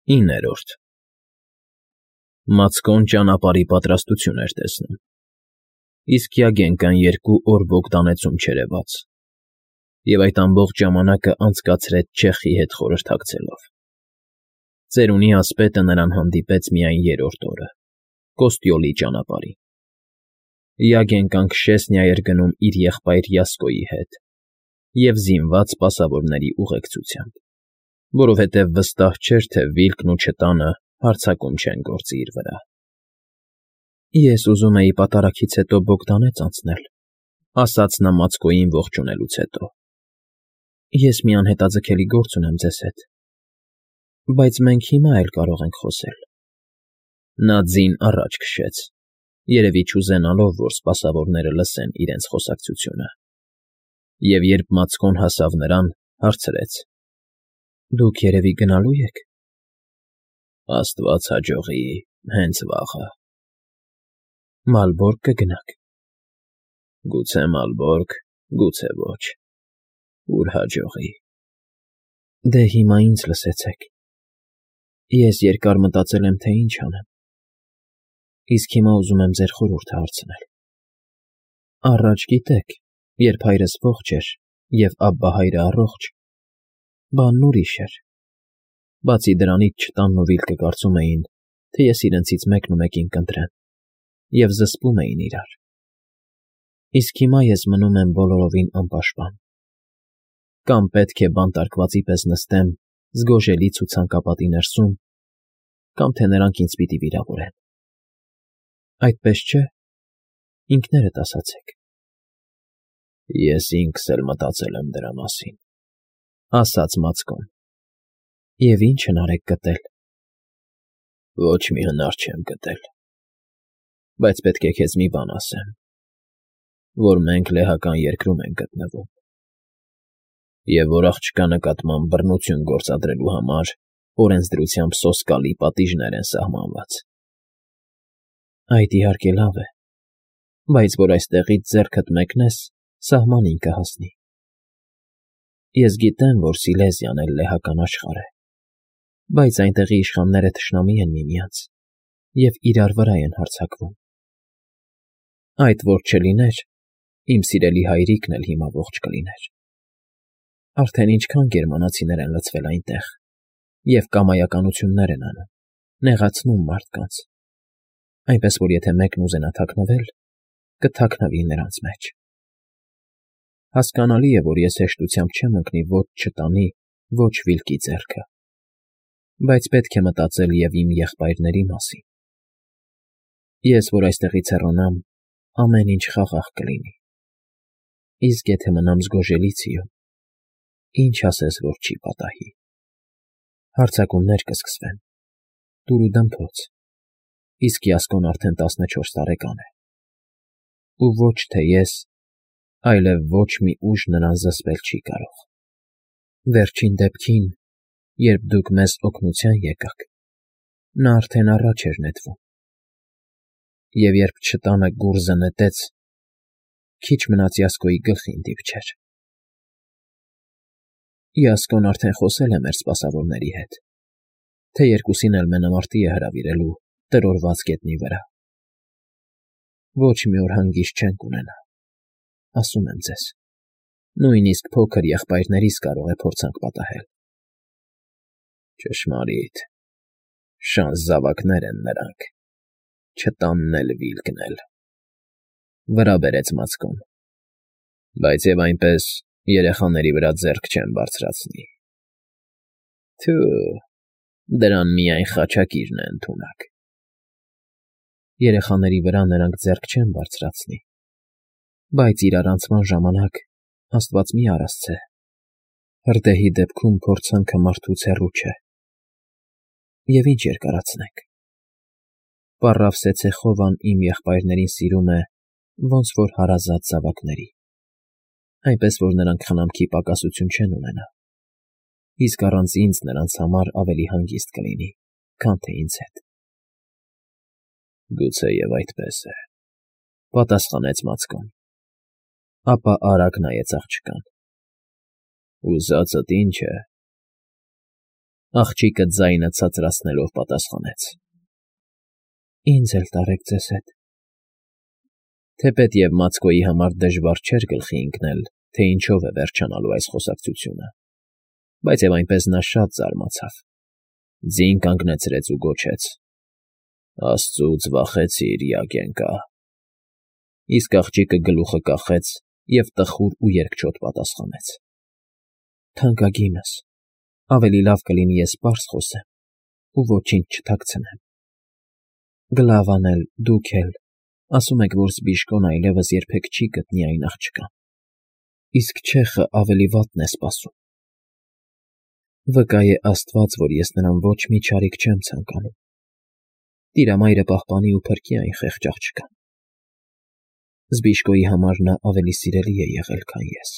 9 Մացկոն ճանապարհի պատրաստություն էր տեսնում, իսկ Յագենկան 2 օր Բոգդանեցում չերևաց, և այդ ամբողջ ժամանակը անցկացրեց չեխի հետ խորհրդակցելով. ծերունի ասպետը նրան հանդիպեց միայն 3-րդ օրը, Կոստյոլի ճանապարհին. Յագենկան Քշեսնիա էր գնում իր եղբայր Յասկոյի հետ և զինված սպասավորների ուղեկցությամբ, որովհետև վստահ չէր, թե Վիլկն ու չտանը հարձակում չեն գործի իր վրա։ «Ես ուզում էի պատարագից հետո Բոգդանեց անցնել,֊ ասաց նա Մացկոյին ողջունելուց հետո։֊ Ես մի անհետաձգելի գործ ունեմ ձեզ հետ, բայց մենք հիմա էլ կարող ենք խոսել»։ Նա ձին առաջ քշեց, երևի չուզենալով, որ սպասավորները լսեն իրենց խոսակցությունը, և երբ Մացկոն հասավ նրան, հարցրեց. «Դուք երևի գնալո՞ւ եք»։ «Աստված հաջողի, հենց վաղը»։ «Մալբորգ կգնաք»։ «Գուցե Մալբորգ, գուցե ոչ, ուր հաջողի»։ «Դե հիմա ինձ լսեցեք. ես երկար մտածել եմ, թե ինչ անեմ, իսկ հիմա ուզում եմ ձեր խորհուրդը հարցնել։ Առաջ, գիտեք, երբ հայրս ողջ էր և Աբբահայրը առողջ, բանն ուրիշ էր, բացի դրանից չտանն ու Վիլկը կարծում էին, թե ես իրենցից մեկին կընտրեմ, և զսպում էին իրար։ Իսկ հիմա ես մնում եմ բոլորովին անպաշտպան. կամ պետք է բանտարկվածի պես նստեմ զգոժելի ցուցանկապատի ներսում, կամ թե նրանք ինձ պիտի վիրավորեն։ Այդպես չէ՞, ինքներդ ասացեք»։ «Ես ինքս էլ մտածել եմ դրա մասին», ասաց Մացկոն։ «Եվ ի՞նչ հնար եք գտել»։ «Ոչ մի հնար չեմ գտել, բայց պետք է քեզ մի բան ասեմ, որ մենք լեհական երկրում ենք գտնվում, և որ աղջկա նկատմամբ բռնություն գործադրելու համար օրենսդրությամբ սոսկալի պատիժներ են սահմանված»։ «Այդ իհարկե լավ է, բայց որ այստեղից ձեռքդ մեկնես, սահմանին կհասնի։ Ես գիտեմ, որ Սիլեզիան էլ լեհական աշխարհ է, բայց այնտեղի իշխանները թշնամի են միմյանց և իրար վրա են հարձակվում։ Այդ որ չլիներ, իմ սիրելի հայրիկն էլ հիմա ողջ կլիներ։ Արդեն ինչքան գերմանացիներ են լցվել այնտեղ և կամայականություններ են անում, նեղացնում մարդկանց, այնպես որ եթե մեկն ուզենա թաքնվել, կթաքնվի նրանց մեջ։ Հասկանալի է, որ ես հեշտությամբ չեմ ընկնի ոչ չտանի, ոչ Վիլկի ձեռքը, բայց պետք է մտածել և իմ եղբայրների մասին։ Ես, որ այստեղից հեռանամ, ամեն ինչ խաղաղ կլինի, իսկ եթե մնամ զգոժելիցիում, ինչ ասես, որ չի պատահի։ Հարձակումներ կսկսվեն, դուր ու դմփոց, իսկ Յասկոն արդեն 14 տարեկան է, ու ոչ թե ես, այլև ոչ մի ուժ նրան զսպել չի կարող։ Վերջին դեպքին, երբ դուք մեզ օգնության եկաք, նա արդեն առաջ էր նետվում, և երբ չտանը գուռզը նետեց, քիչ մնաց Յասկոյի գլխին դիպչեր։ Յասկոն արդեն խոսել է մեր սպասավորների հետ, թե երկուսին էլ մենամարտի է հրավիրելու տրորված գետնի վրա։ Ոչ մի օր հանգիստ չենք ունենա, ասում եմ ձեզ, նույնիսկ փոքր եղբայրներիս կարող է փորձանք պատահել։ Ճշմարիտ, շանս զավակներ են նրանք, չտանն էլ Վիլկն էլ,֊ վրա բերեց Մացկոն,֊ բայց և այնպես երեխաների վրա ձեռք չեն բարձրացնի։ Թյո՛ւ, դրան միայն խաչակիրն է ընդունակ։ Երեխաների վրա նրանք ձեռք չեն բարձրացնի, բայց իրարանցման ժամանակ, աստված մի արասցե, հրդեհի դեպքում փորձանքը մարդուց հեռու չէ։ Եվ ինչ երկարացնենք։ Պառավ Սեցեխովան իմ եղբայրներին սիրում է, ոնց որ հարազատ զավակների, այնպես որ նրանք խնամքի պակասություն չեն ունենա, իսկ առանց ինձ նրանց համար ավելի հանգիստ կլինի, քան թե ինձ հետ։ Գուցեև այդպես է,֊ պատասխանեց Մացկոն, ապա արագ նայեց աղջկան։ Ուզածդ ի՞նչ է։ Աղջիկը ձայնը ցածրացնելով պատասխանեց. Ինձ էլ տարեք ձեզ հետ։ Թեպետև Մացկոյի համար դժվար չէր գլխի ընկնել, թե ինչով է վերջանալու այս խոսակցությունը, բայց և այնպես նա շատ զարմացավ, ձին կանգնեցրեց ու գոչեց. Աստծուց վախեցիր, Յագենկա։ Իսկ աղջիկը գլուխը կախեց և տխուր ու երկչոտ պատասխանեց. Թանկագինս, ավելի լավ կլինի ես պարզ խոսեմ ու ոչինչ չթաքցնեմ։ Գլավան էլ, դուք էլ ասում եք, որ Զբիժկոն այլևս երբեք չի գտնի այն աղջկան, իսկ Չեխը ավելի վատն է սպասում։ Վկա է Աստված, որ ես նրան ոչ մի չարիք չեմ ցանկանում։ Տիրամայրը պահպանի ու փրկի այն խեղճ աղջկան։ Զբիժկոյի համար նա ավելի սիրելի է եղել, քան ես։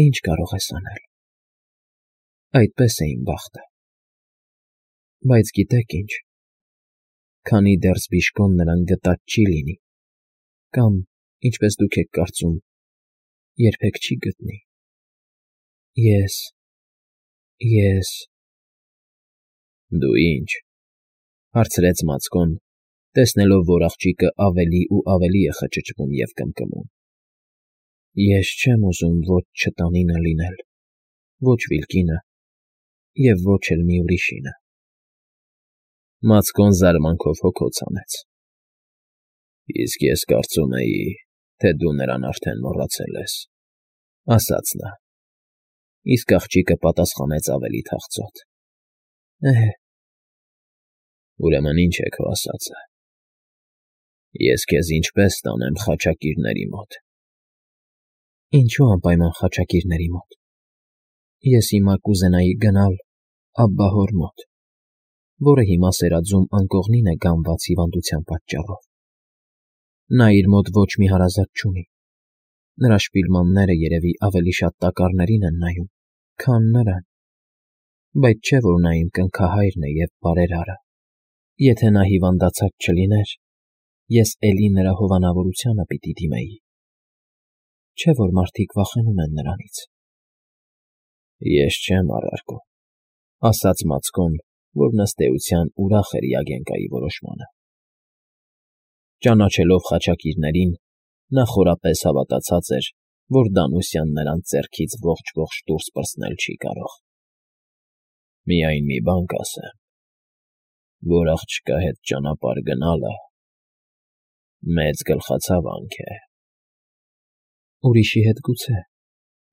Ինչ կարող ես անել։ Այդպես է իմ բախտը։ Բայց գիտեք ինչ, քանի դեռ Զբիժկոն նրան գտած չի լինի, կամ, ինչպես դուք եք կարծում, երբեք չի գտնի, ես… Դու ինչ, հարցրեց Մացկոն, տեսնելով, որ աղջիկը ավելի ու ավելի է խճճվում և կմկմում։ Ես չեմ ուզում ոչ չտանինը լինել, ոչ Վիլկինը և ոչ էլ մի ուրիշինը։ Մացկոն զարմանքով հոգոց հանեց։ Իսկ ես կարծում էի, թե դու նրան արդեն մոռացել ես, ասաց նա։ Իսկ աղջիկը պատասխանեց ավելի թախծոտ. Ուրեմն ինչ է քո ասածը։ Ես քեզ ինչպես տանեմ խաչակիրների մոտ։ Ինչու անպայման խաչակիրների մոտ։ Ես հիմա կուզենայի գնալ Աբբահոր մոտ, որը հիմա սերաձում անկողնին է գանված հիվանդության պատճառով։ Նա իր մոտ ոչ մի հարազատ չունի։ Նրա շպիլմանները երևի ավելի շատ տակառներին են նայում, քան նրան, բայց չէ՞ որ նա իմ կնքահայրն է և բարերարը։ Եթե նա հիվանդացած չլիներ, ես էլի նրա հովանավորությանը պիտի դիմեի։ Չէ՞ որ մարդիկ վախենում են նրանից։ Ես չեմ առարկում, ասաց Մացկոն, որն ըստ էության ուրախ էր Յագենկայի որոշմանը։ Ճանաչելով խաչակիրներին, նա խորապես հավատացած էր, որ Դանուսյան նրանց ձեռքից ողջ դուրս պրծնել չի կարող։ Միայն մի բան կասեմ, որ աղջկա հետ ճանապարհ գնալը մեծ գլխացավանք է։ Ուրիշի հետ գուցե,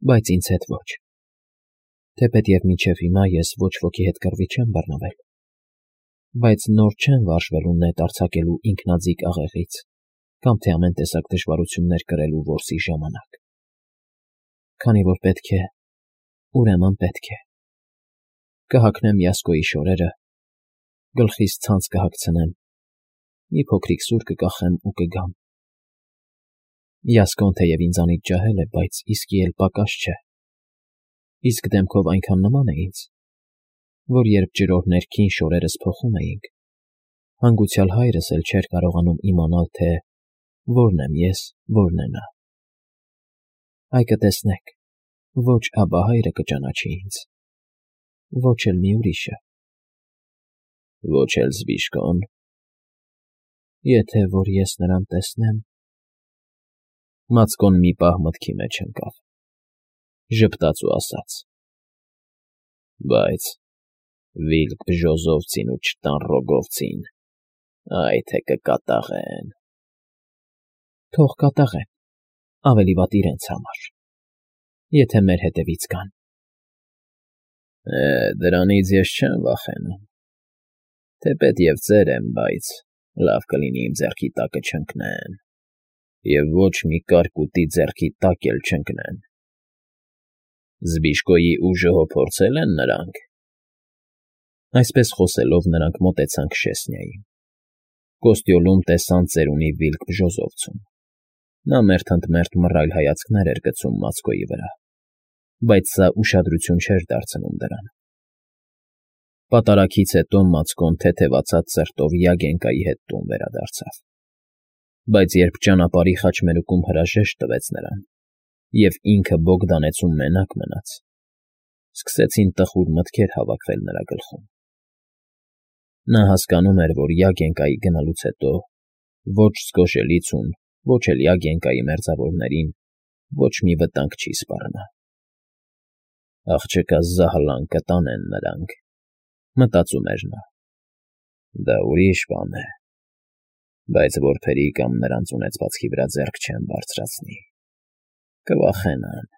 բայց ինձ հետ ոչ։ Թեպետև մինչև հիմա ես ոչ ոքի հետ կռվի չեմ բռնվել, բայց նոր չեմ վարժվելու նետ արձակելու ինքնաձիգ աղեղից կամ թե ամեն տեսակ դժվարություններ կրելու որսի ժամանակ։ Քանի որ պետք է, ուրեմն պետք է։ Կհագնեմ Յասկոյի շորերը, գլխիս ցանց կհագցնեմ, մի փոքրիկ սուր կկախեմ ու կգամ։ Յասկոն թեև ինձանից ջահել է, բայց իսկի էլ պակաս չէ։ Իսկ դեմքով այնքան նման է ինձ, որ երբ ջրով ներքին շորերս փոխում էինք, հանգուցյալ հայրս էլ չէր կարողանում իմանալ, թե որն եմ ես, որն է նա։ Այ կտեսնեք, ոչ աբահայրը կճանաչի ինձ, ոչ էլ մի ուրիշը։ Ոչ էլ Զբիժկոն։ Եթե որ ես նրան տեսնեմ… Մացկոն մի պահ մտքի մեջ ընկավ, ժպտաց ու ասաց. Բայց Վիլկ Բժոզովցին ու չտան Ռոգովցին, այ թե կկատաղեն։ Թող կատաղեն, ավելի վատ իրենց համար, եթե մեր հետևից գան։ Դրանից ես չեմ վախենում, թեպետև ծեր եմ, բայց լավ կլինի իմ ձեռքի տակը չընկնեն, և ոչ մի կարկուտի ձեռքի տակ էլ չընկնեն։ Զբիժկոյի ուժը հո փորձել են նրանք։ Այսպես խոսելով նրանք մոտեցան Քշեսնիային։ Կոստյոլում տեսան ծերունի Վիլկ Բժոզովցուն։ Նա մերթընդմերթ մռայլ հայացքներ էր գցում Մացկոյի վրա, բայց սա ուշադրություն չէր դարձնում դրան։ Պատարագից հետո Մացկոն թեթևացած սրտով Յագենկայի հետ տուն վերադարձավ։ Բայց երբ ճանապարհի խաչմերուկում հրաժեշտ տվեց նրան, և ինքը Բոգդանեցում մենակ մնաց, Սկսեցին տխուր մտքեր հավաքվել նրա գլխում։ Նա հասկանում էր, որ Յագենկայի գնալուց հետո ոչ Զգոշելիցուն, ոչ էլ Յագենկայի մերձավորներին ոչ մի վտանգ չի սպառնա։ Աղջկա զահլան կտանեն նրանք, մտածում էր նա։ Դա ուրիշ բան է, բայց որբերի կամ նրանց ունեցվածքի վրա ձեռք չեն բարձրացնի, կվախենան,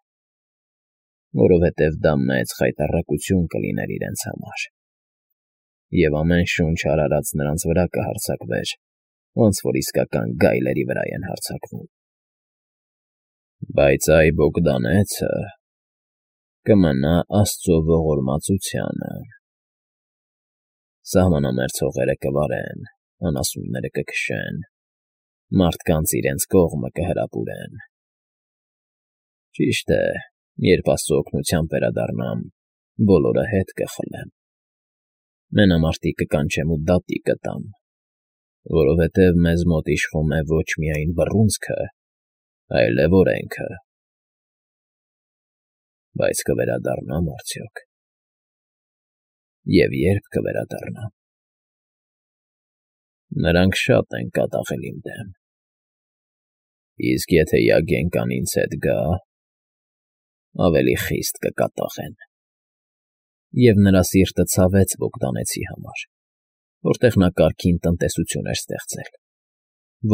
որովհետև դա մեծ խայտառակություն կլիներ իրենց համար, և ամեն շունչ արարած նրանց վրա կհարձակվեր, ոնց որ իսկական գայլերի վրա են հարձակվում։ Բայց այ Բոգդանեցը կմնա աստծո ողորմածությանը։ Սահմանամերձ հողերը կվարեն, անասունները կքշեն, մարդկանց իրենց կողմը կհրապուրեն։ Ճիշտ է, երբ աստծո օգնությամբ վերադառնամ, բոլորը հետ կխլեմ։ Մենամարտի կկանչեմ ու դատի կտամ, որովհետև մեզ մոտ իշխում է ոչ միայն բռունցքը, այլև օրենքը։ Բայց կվերադառնամ արդյոք։ Եվ երբ կվերադառնամ։ Նրանք շատ են կատաղել իմ դեմ։ Իսկ եթե Յագենկան ինձ հետ գա, ավելի խիստ կկատաղեն։ Եվ նրա սիրտը ցավեց Բոգդանեցի համար, որտեղ նա կարգին տնտեսություն էր ստեղծել,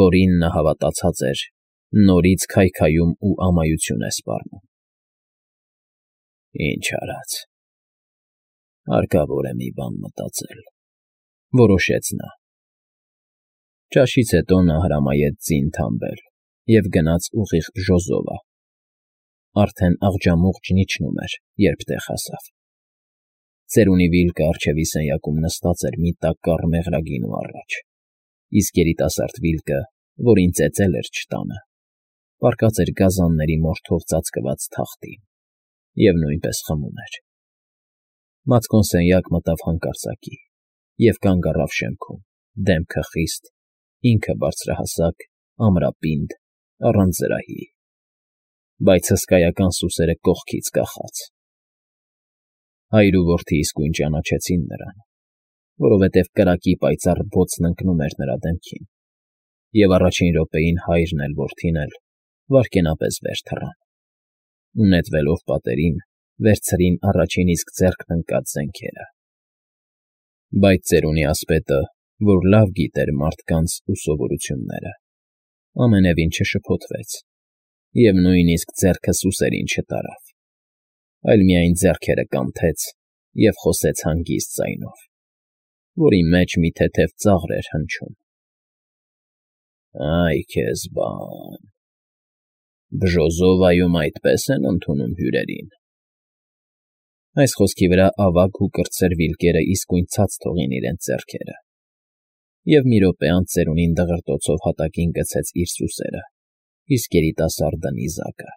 որին նա հավատացած էր, նորից քայքայում ու ամայություն է սպառնում։ Ինչ արած։ Հարկավոր է մի բան մտածել, որոշեց նա։ Ճաշից հետո նա հրամայեց ձին թամբել և գնաց ուղիղ Բժոզովա։ Արդեն աղջամուղջն իջնում էր, երբ տեղ հասավ։ Ծերունի Վիլկը առջևի սենյակում նստած էր մի տակառ մեղրագինու առաջ, իսկ երիտասարդ Վիլկը, որին ծեծել էր չտանը, պառկած էր գազանների մորթով ծածկված թախտին և նույնպես խմում էր։ Մատկոն սենյակ մտավ հանկարծակի և կանգ առավ շեմքում, դեմքը խիստ, ինքը բարձրահասակ, ամրապինդ, առանց զրահի, բայց հսկայական սուսերը կողքից կախած։ Հայր ու որդի իսկույն ճանաչեցին նրան, որովհետև կրակի պայծառ բոցն ընկնում էր նրա դեմքին, և առաջին րոպեին հայրն էլ որդին էլ վայրկենապես վեր թռան ու նետվելով պատերին, վերցրին առաջին իսկ ձեռքն ընկած զենքերը։ Բայց ծերունի ասպետը, որ լավ գիտեր մարդկանց ու սովորությունները, ամենևին չշփոթվեց և նույնիսկ ձեռքը սուսերին չտարավ, այլ միայն ձեռքերը կանթեց և խոսեց հանգիստ ձայնով, որի մեջ մի թեթև ծաղր էր հնչում. Այ քեզ բան, Բժոզովայում այդպես են ընդունում հյուրերին։ Այս խոսքի վրա ավագ ու կրտսեր Վիլկերը իսկույն ցած թողին իրենց ձեռքերը, և մի րոպե անց ծերունին դղրդոցով հատակին գցեց իր սուսերը, իսկ երիտասարդը նիզակը։